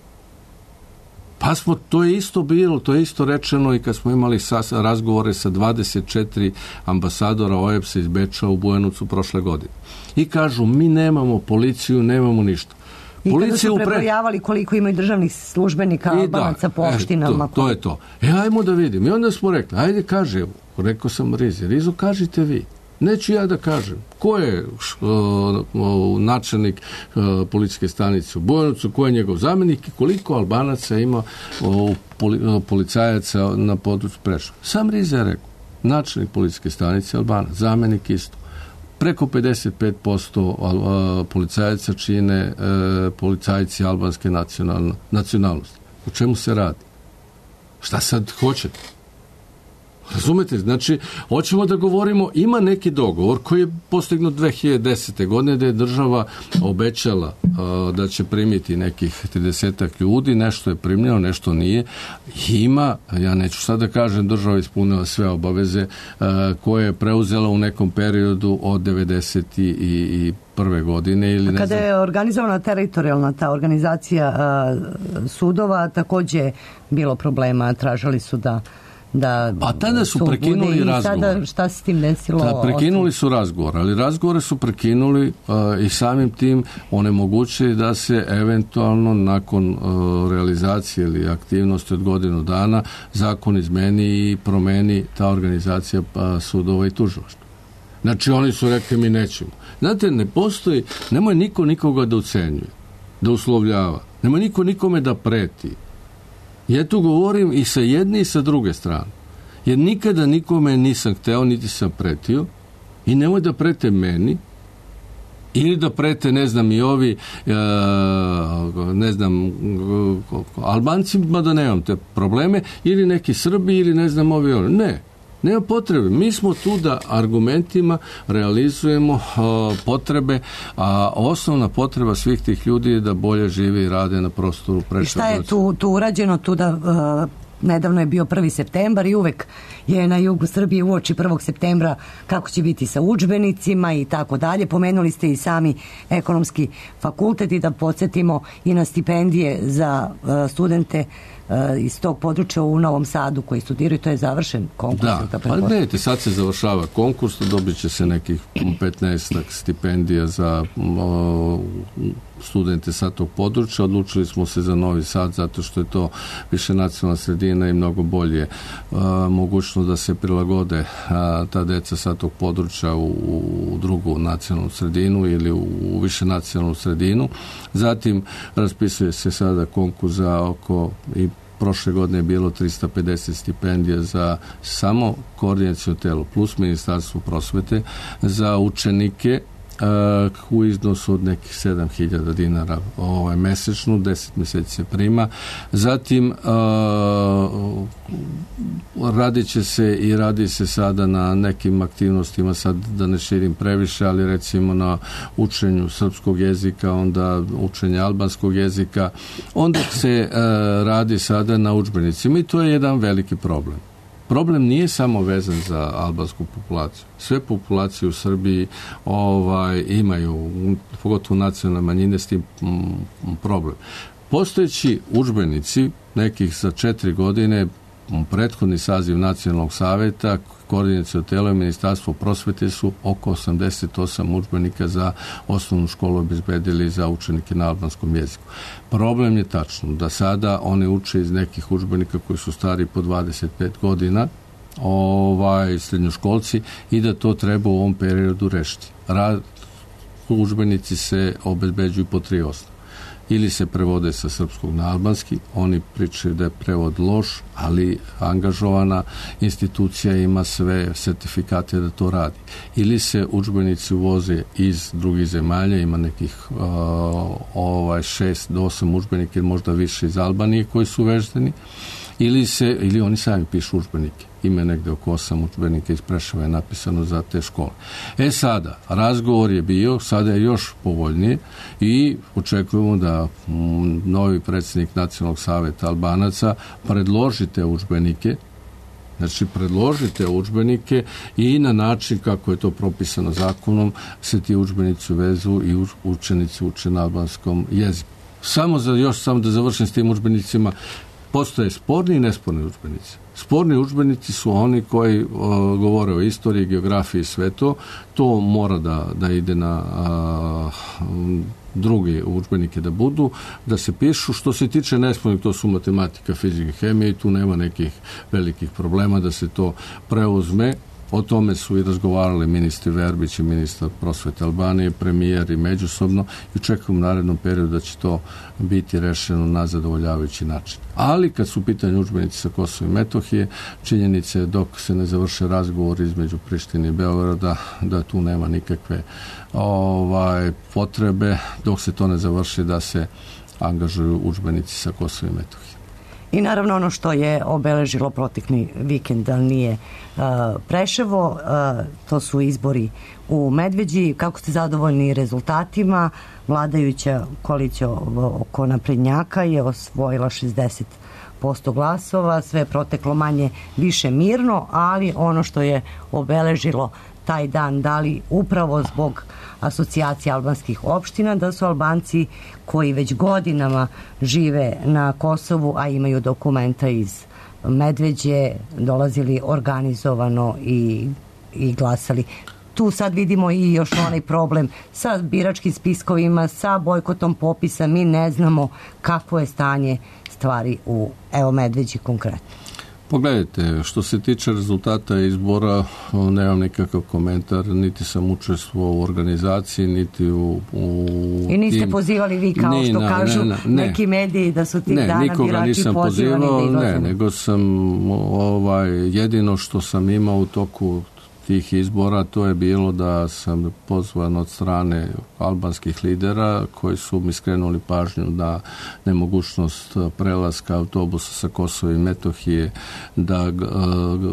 Pa smo, to je isto bilo, to je isto rečeno i kad smo imali sas, razgovore sa dvadeset četiri ambasadora O E B S-a iz Beča u Bujanovcu prošle godine. I kažu, mi nemamo policiju, nemamo ništa. I kada su prebrojavali koliko imaju državnih službenika Albanaca po opštinama. E, to, to je to. E, ajmo da vidim. I onda smo rekli, ajde kaže, rekao sam Rizi, Rizo, kažite vi. Neću ja da kažem. Ko je uh, načelnik uh, policijske stanice u Bujanovcu, ko je njegov zamjenik i koliko Albanaca ima uh, poli, uh, policajaca na području Preševa. Sam Riza je rekao, načelnik policijske stanice Albanac, zamjenik isto. Preko pedeset pet posto uh, policajaca čine uh, policajci albanske nacionalnosti. O čemu se radi? Šta sad hoćete? Razumete? Znači, hoćemo da govorimo, ima neki dogovor koji je postignut dve hiljade desete. godine da je država obećala uh, da će primiti nekih tridesetak ljudi, nešto je primljeno, nešto nije. Ima, ja neću sad da kažem, država ispunila sve obaveze uh, koje je preuzela u nekom periodu od devedeset i prve godine. Ili ne Kada znam. je organizovana teritorijalna ta organizacija uh, sudova, takođe bilo problema, tražili su da da a tada su prekinuli razgovor. Sada šta se s tim desilo? Da, prekinuli su razgovor, ali razgovore su prekinuli uh, i samim tim onemogućili da se eventualno nakon uh, realizacije ili aktivnosti od godinu dana zakon izmeni i promeni ta organizacija uh, sudova i tužilaštva. Znači oni su rekli mi nećemo. Znate, ne postoji, nemoj niko nikoga da ucenjuje, da uslovljava, nemoj niko nikome da preti. Ja tu govorim i sa jedne i sa druge strane. Jer nikada nikome nisam hteo, niti sam pretio i nemoj da prete meni ili da prete, ne znam, i ovi ne znam, Albancima da nemam te probleme ili neki Srbi ili ne znam ovi oni. Ne. Nema potrebe. Mi smo tu da argumentima realizujemo uh, potrebe, a osnovna potreba svih tih ljudi je da bolje žive i rade na prostoru Preševa. I šta je tu, tu urađeno? Tu da, uh, nedavno je bio prvi septembar i uvek je na jugu Srbije uoči prvog septembra kako će biti sa udžbenicima i tako dalje. Pomenuli ste i sami ekonomski fakultet i da podsjetimo i na stipendije za uh, studente iz tog područja u Novom Sadu koji studiraju, to je završen konkurs. Da, pa gledajte, sad se završava konkurs, dobit će se nekih petnaest stipendija za o, studente sa tog područja. Odlučili smo se za Novi Sad zato što je to više nacionalna sredina i mnogo bolje a, mogućnost da se prilagode a, ta deca sa tog područja u, u drugu nacionalnu sredinu ili u, u više nacionalnu sredinu. Zatim raspisuje se sada konkurs za oko i prošle godine je bilo trista pedeset stipendija za samo koordinaciono telo plus Ministarstvo prosvete za učenike uh, u iznosu od nekih sedam hiljada dinara ovaj, mesečno, deset meseci se prima. Zatim uh, radit će se i radi se sada na nekim aktivnostima, sad da ne širim previše, ali recimo na učenju srpskog jezika, onda učenje albanskog jezika, onda se uh, radi sada na udžbenicima i to je jedan veliki problem. Problem nije samo vezan za albansku populaciju. Sve populacije u Srbiji ovaj, imaju, pogotovo nacionalne manjine, s tim mm, problem. Postojeći udžbenici, nekih za četiri godine, prethodni saziv Nacionalnog saveta, koordinaciono telo i Ministarstvo prosvete su oko osamdeset osam udžbenika za osnovnu školu obezbedili za učenike na albanskom jeziku. Problem je tačno da sada oni uče iz nekih udžbenika koji su stari po dvadeset pet godina, ovaj, srednjoškolci, i da to treba u ovom periodu rešiti. Rad, udžbenici se obezbeđuju po tri osnova. Ili se prevode sa srpskog na albanski, oni pričaju da je prevod loš, ali angažovana institucija ima sve sertifikate da to radi. Ili se udžbenici uvoze iz drugih zemalja, ima nekih uh, ovaj šest do osam udžbenika ili možda više iz Albanije koji su uveženi, ili se, ili oni sami pišu udžbenike. Ima negde oko osam udžbenika iz Preševa je napisano za te škole. E sada, razgovor je bio, sada je još povoljnije i očekujemo da m, novi predsjednik Nacionalnog saveta Albanaca predloži te udžbenike, znači predložite udžbenike i na način kako je to propisano zakonom se ti udžbenici uvezu i učenici uče na albanskom jeziku. Samo za, još samo da završim s tim udžbenicima, postoje sporni i nesporni udžbenici. Sporni udžbenici su oni koji o, govore o istoriji, geografiji i sve to. To mora da, da ide na a, drugi udžbenike da budu, da se pišu. Što se tiče nespornih, to su matematika, fizika, hemija i tu nema nekih velikih problema da se to preuzme. O tome su i razgovarali ministri Verbić i ministar prosvete Albanije, premijer i međusobno i očekujem u narednom periodu da će to biti rešeno na zadovoljavajući način. Ali kad su u pitanju udžbenici sa Kosova i Metohije, činjenica je dok se ne završe razgovor između Prištine i Beograda, da tu nema nikakve ovaj, potrebe, dok se to ne završi da se angažuju udžbenici sa Kosova i Metohije. I naravno ono što je obeležilo protekli vikend, ali nije uh, Preševo, uh, to su izbori u Medveđi. Kako ste zadovoljni rezultatima? Vladajuća koalicija oko naprednjaka je osvojila šezdeset posto glasova, sve je proteklo manje više mirno, ali ono što je obeležilo taj dan, da li upravo zbog asocijacije albanskih opština, da su Albanci koji već godinama žive na Kosovu, a imaju dokumenta iz Medveđe, dolazili organizovano i, i glasali. Tu sad vidimo i još onaj problem sa biračkim spiskovima, sa bojkotom popisa. Mi ne znamo kakvo je stanje stvari u, evo, Medveđi konkretno. Pogledajte, što se tiče rezultata izbora, nemam nikakav komentar, niti sam učestvovao u organizaciji, niti u... u I niste tim... pozivali vi, kao ni, što na, kažu ne, ne, neki mediji, da su tih ne, dana birači pozivani da izlaze. Ne, nego sam ovaj, jedino što sam imao u toku tih izbora, to je bilo da sam pozvan od strane albanskih lidera koji su mi skrenuli pažnju na nemogućnost prelaska autobusa sa Kosova i Metohije da uh,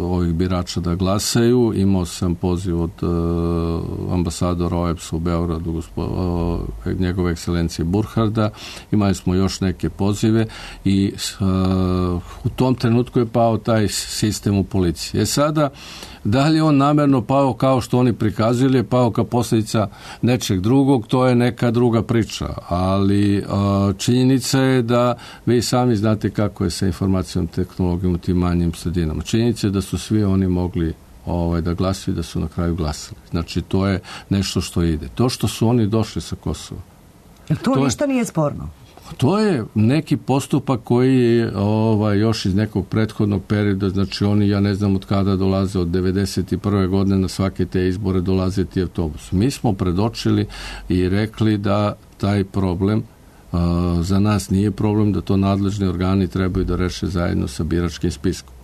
ovih birača da glasaju. Imao sam poziv od uh, ambasadora O E B S-a u Beogradu, gospo, uh, njegove ekscelencije Burharda. Imali smo još neke pozive i uh, u tom trenutku je pao taj sistem u policiji. E sada, da li on namerno pao kao što oni prikazili, je pao kao posljedica nečeg drugog, to je neka druga priča, ali uh, činjenica je da vi sami znate kako je sa informacijom tehnologijom u tim manjim sredinama. Činjenica je da su svi oni mogli ovaj, da glasuju i da su na kraju glasali. Znači, to je nešto što ide. To što su oni došli sa Kosova. Jer to, to ništa je, nije sporno? To je neki postupak koji je ovaj, još iz nekog prethodnog perioda, znači oni, ja ne znam od kada dolaze, od devedeset prve godine na svake te izbore dolaze ti autobus. Mi smo predočili i rekli da taj problem uh, za nas nije problem, da to nadležni organi trebaju da reše zajedno sa biračkim spiskom.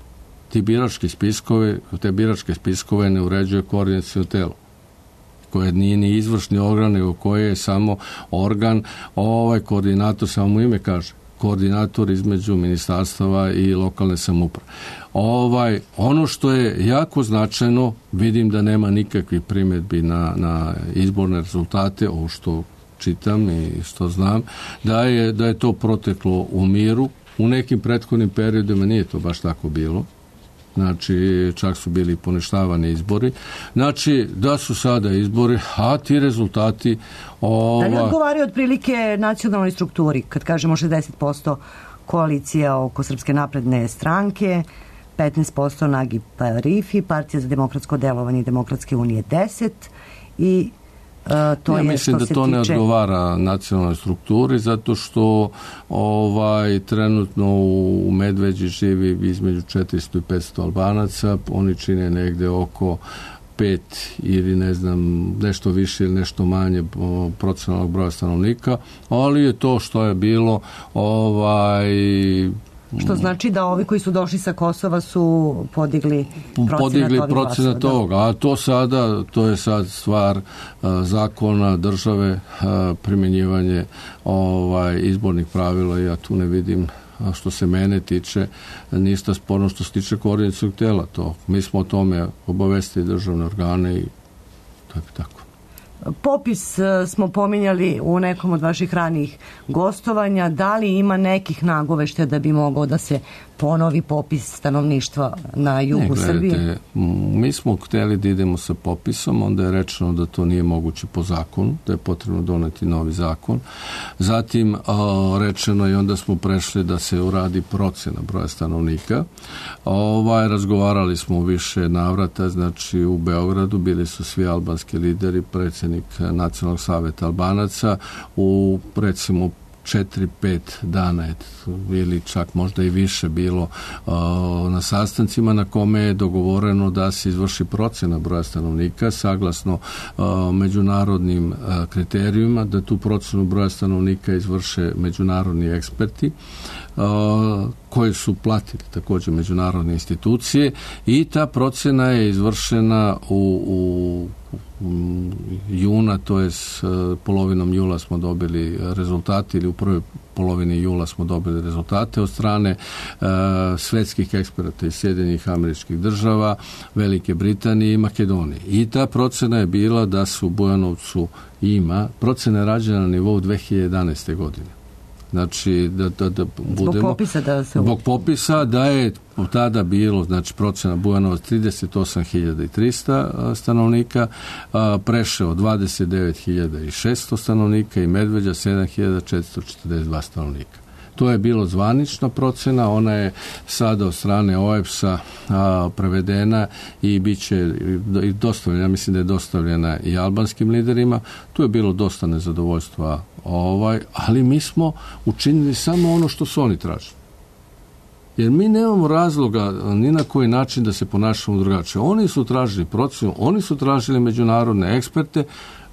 Ti birački spiskove, te biračke spiskove ne uređuje koordinaciono telo, koje nije ni izvršni organ, nego koje je samo organ, ovaj koordinator, samo mu ime kaže, koordinator između ministarstava i lokalne samouprave. Ovaj, ono što je jako značajno, vidim da nema nikakvih primjedbi na, na izborne rezultate, ovo što čitam i što znam, da je, da je to proteklo u miru. U nekim prethodnim periodima nije to baš tako bilo. Znači, čak su bili poništavani izbori. Znači, da su sada izbori, a ti rezultati... Ova... Da li odgovaraju otprilike nacionalnoj strukturi, kad kažemo šezdeset posto koalicija oko Srpske napredne stranke, petnaest posto Nagib Rifi, Partija za demokratsko delovanje i Demokratske unije deset i Uh, to ja je mislim što da se to ne tiče... odgovara nacionalnoj strukturi, zato što ovaj trenutno u Medveđi živi između četiristo i petsto Albanaca, oni čine negde oko pet ili ne znam nešto više ili nešto manje procentualnog broja stanovnika, ali je to što je bilo ovaj Što znači da ovi koji su došli sa Kosova su podigli procenat podigli ovih procenat glasova, toga, a to sada, to je sad stvar a, zakona države, a, primjenjivanje ovaj, izbornih pravila. Ja tu ne vidim, a što se mene tiče, ništa sporno što se tiče koordinacionog tela. To. Mi smo o tome obavestili državne organe i tako tako. Popis smo pominjali u nekom od vaših ranijih gostovanja. Da li ima nekih nagoveštaja da bi mogao da se ponovi popis stanovništva na jugu ne, gledajte, Srbije? Mi smo hteli da idemo sa popisom, onda je rečeno da to nije moguće po zakonu, da je potrebno doneti novi zakon. Zatim a, rečeno je, onda smo prešli da se uradi procena broja stanovnika. Ovaj, razgovarali smo u više navrata, znači u Beogradu bili su svi albanski lideri, predsjednik Nacionalnog saveta Albanaca, u recimo četiri pet dana je, ili čak možda i više bilo uh, na sastancima na kome je dogovoreno da se izvrši procena broja stanovnika saglasno uh, međunarodnim uh, kriterijima, da tu procenu broja stanovnika izvrše međunarodni eksperti uh, koji su platili također međunarodne institucije i ta procena je izvršena u, u juna, to je s polovinom jula smo dobili rezultati ili u prvoj polovini jula smo dobili rezultate od strane uh, svetskih eksperata iz Sjedinjenih Američkih Država, Velike Britanije i Makedonije. I ta procena je bila da se u Bujanovcu ima, procena je rađena na nivou dve hiljade jedanaeste. godine. Znači, da, da, da budemo... Zbog popisa da se... Zbog popisa da je tada bilo, znači, procena Bujanovac trideset osam hiljada trista stanovnika, Preševo dvadeset devet hiljada šesto stanovnika i Medveđa sedam hiljada četiristo četrdeset dva stanovnika. To je bilo zvanična procena, ona je sada od strane O E B S-a a, prevedena i bit će i dostavljena, ja mislim da je dostavljena i albanskim liderima. Tu je bilo dosta nezadovoljstva, ovaj, ali mi smo učinili samo ono što su oni tražili. Jer mi nemamo razloga ni na koji način da se ponašamo drugačije. Oni su tražili procenu, oni su tražili međunarodne eksperte,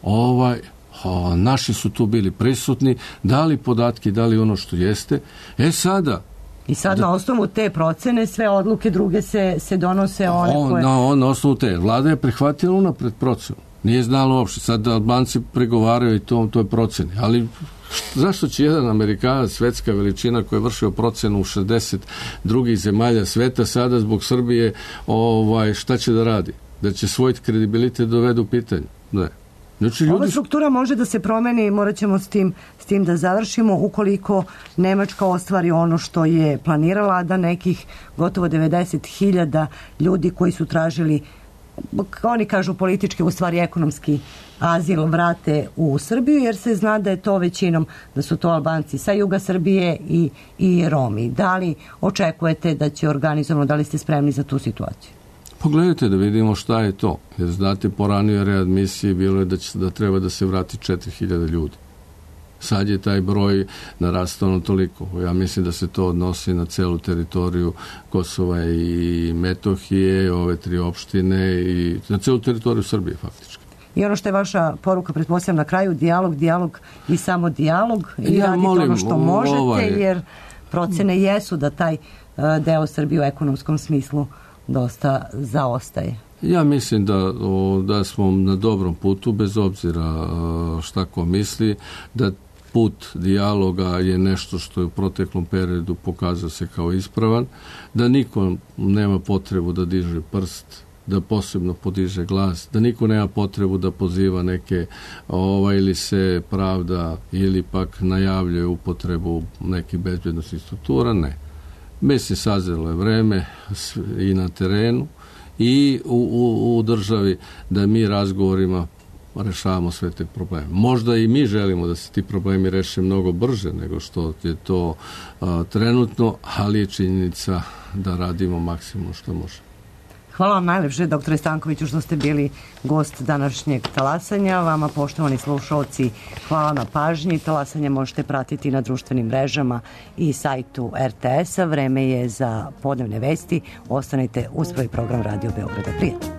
ovaj, O, naši su tu bili prisutni, dali podatke, dali ono što jeste. E sada... I sad da, na osnovu te procene sve odluke druge se, se donose one on, koje... Na, on, na osnovu te. Vlada je prihvatila unapred procenu. Nije znala uopšte. Sad Albanci pregovaraju i to, to je proceni. Ali zašto će jedan Amerikanac, svetska veličina koja je vršio procenu u šezdeset drugih zemalja sveta, sada zbog Srbije ovaj, šta će da radi? Da će svoj kredibilitet dovede u pitanje? Ne. Znači, ljudi... Ova struktura može da se promeni, morat ćemo s tim, s tim da završimo ukoliko Nemačka ostvari ono što je planirala, da nekih gotovo devedeset hiljada ljudi koji su tražili, oni kažu politički, u stvari ekonomski azil, vrate u Srbiju, jer se zna da je to većinom, da su to Albanci sa juga Srbije i, i Romi. Da li očekujete da će organizovano, da li ste spremni za tu situaciju? Pogledajte da vidimo šta je to. Jer znate, po ranijoj readmisiji bilo je da, će, da treba da se vrati četiri hiljade ljudi. Sad je taj broj narastao na toliko. Ja mislim da se to odnosi na celu teritoriju Kosova i Metohije, ove tri opštine i na celu teritoriju Srbije faktički. I ono što je vaša poruka, pretpostavljam, na kraju, dijalog, dijalog i samo dijalog i ja radite molim, ono što možete, ovaj... jer procene jesu da taj uh, deo Srbije u ekonomskom smislu dosta zaostaje. Ja mislim da, o, da smo na dobrom putu, bez obzira šta ko misli, da put dijaloga je nešto što je u proteklom periodu pokazao se kao ispravan, da niko nema potrebu da diže prst, da posebno podiže glas, da niko nema potrebu da poziva neke ovaj, ili se pravda ili pak najavljuje upotrebu nekih bezbjednostnih struktura, ne. Mislim, sazrelo je vreme i na terenu i u, u, u državi da mi razgovorima rešavamo sve te probleme. Možda i mi želimo da se ti problemi reše mnogo brže nego što je to a, trenutno, ali je činjenica da radimo maksimum što možemo. Hvala vam najlepše, doktore Stankoviću, što ste bili gost današnjeg talasanja. Vama, poštovani slušalci, hvala na pažnji. Talasanje možete pratiti na društvenim mrežama i sajtu er te es-a. Vreme je za podnevne vesti. Ostanite uz svoj program Radio Beograda. Prijatno.